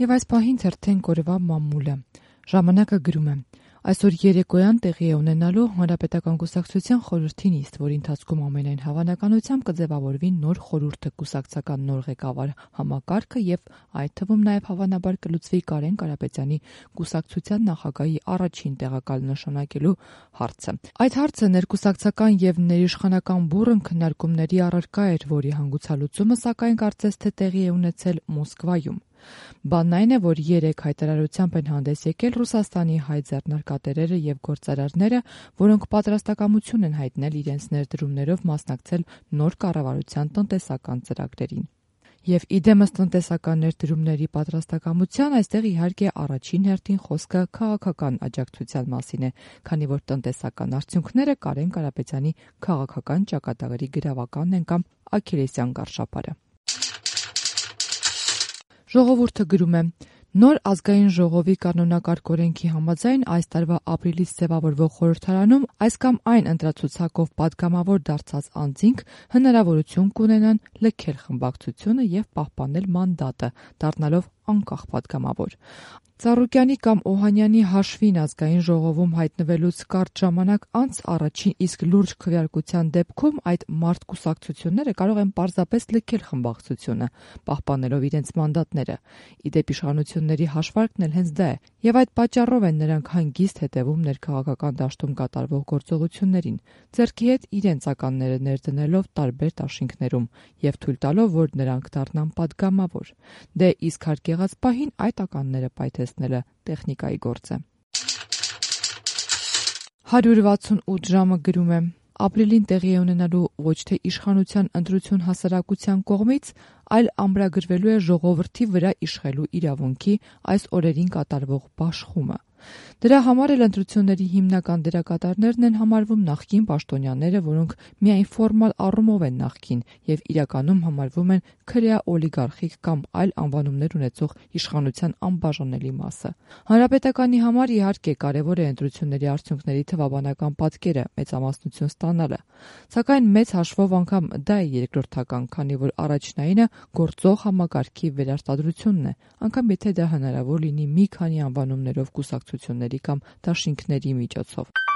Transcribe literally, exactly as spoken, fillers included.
Եվ այս պահին թերթեն կորվա մամուլը։ Ժամանակը գրում է. Այսօր երեկոյան տեղի է ունենալու Հանրապետական կուսակցության խորհրդի նիստ, որի ընթացքում ամենայն հավանականությամբ կձևավորվի նոր խորհուրդը, կուսակցական նոր ղեկավար համակարգը եւ այդ թվում նաեւ հավանաբար կլուծվի Կարեն Կարապետյանի կուսակցության նախագահի առաջին տեղակալ նշանակելու հարցը։ Այդ հարցը ներկուսակցական եւ ներիշխանական բուռն քննարկումների առարկա էր, որի հանգուցալուծումը սակայն կարծես թե տեղի է ունեցել Մոսկվայում։ Բանն այն է, որ երեք հայտարարությամբ են հանդես եկել Ռուսաստանի հայ ձեռնարկատերերը եւ գործարարները, որոնք պատրաստակամություն են հայտնել իրենց ներդրումներով մասնակցել նոր կառավարության տնտեսական ծրագրերին։ Եվ իդեմս տնտեսական ներդրումների պատրաստակամության այստեղ իհարկե առաջին հերթին խոսքը քաղաքական աջակցության մասին է, քանի որ տնտեսական արդյունքները Կարեն Կարապետյանի քաղաքական ճակատագրի գրավականն են կամ աքքիլեսյան գարշապարը։ Ժողովուրդը գրում է. Նոր ազգային ժողովի կանոնակարգ օրենքի համաձայն այս տարվա ապրիլից ձևավորվող խորհրդարանում այս կամ այն ընտրացուցակով պատգամավոր դարձած անձինք հնարավորություն կունենան լքել խմբակցությունը եւ պահպանել մանդատը, դառնալով անկախ պատգամավոր։ Ծառուկյանի կամ Օհանյանի հաշվին ազգային ժողովում հայտնվելուց կարճ ժամանակ անց առաջին իսկ լուրջ քվեարկության դեպքում այդ մարդ կուսակցությունները կարող են պարզապես լքել խմբակցությունը, պահպանելով իրենց մանդատները։ Իդեպ իշխանությունների հաշվարկն էլ հենց դա է, եւ այդ պատճառով են նրանք հանգիստ հետևում ներքաղաքական դաշտում կատարվող գործողություններին, ձեռքի հետ իրենց ականները ներդնելով տարբեր դաշինքներում եւ թույլ տալով, որ նրանք դառնան պատգամավոր։ Դե իսկ հարկ եղած պահին այդ ականները պայթեցնելը տեխնիկայի գործ է։ հարյուր վաթսունութ ժամը գրում է. Ապրիլին տեղի է ունենալու ոչ թե իշխանության ընտրություն հասարակության կողմից, այլ ամրագրվելու է ժողովրդի վրա իշխելու իրավունքի այս օրերին կատարվող բաշխումը։ Դրա համար էլ ընտրությունների հիմնական դերակատարներն են համարվում նախկին պաշտոնյաները, որոնք միայն ֆորմալ առումով են նախկին եւ իրականում համարվում են քրեա օլիգարխիկ կամ այլ անվանումներ ունեցող իշխանության անբաժանելի մասը։ Հանրապետականի համար իհարկե կարևոր է ընտրությունների արդյունքների թվաբանական պատկերը, մեծամասնություն ստանալը, սակայն մեծ հաշվով անգամ դա է երկրորդական, քանի որ առաջնայինը գործող համակարգի վերարտադրությունն է, անգամ եթե դա հնարավոր լինի մի քանի անվանումներով կուսակցությունների կամ դաշինքների միջոցով։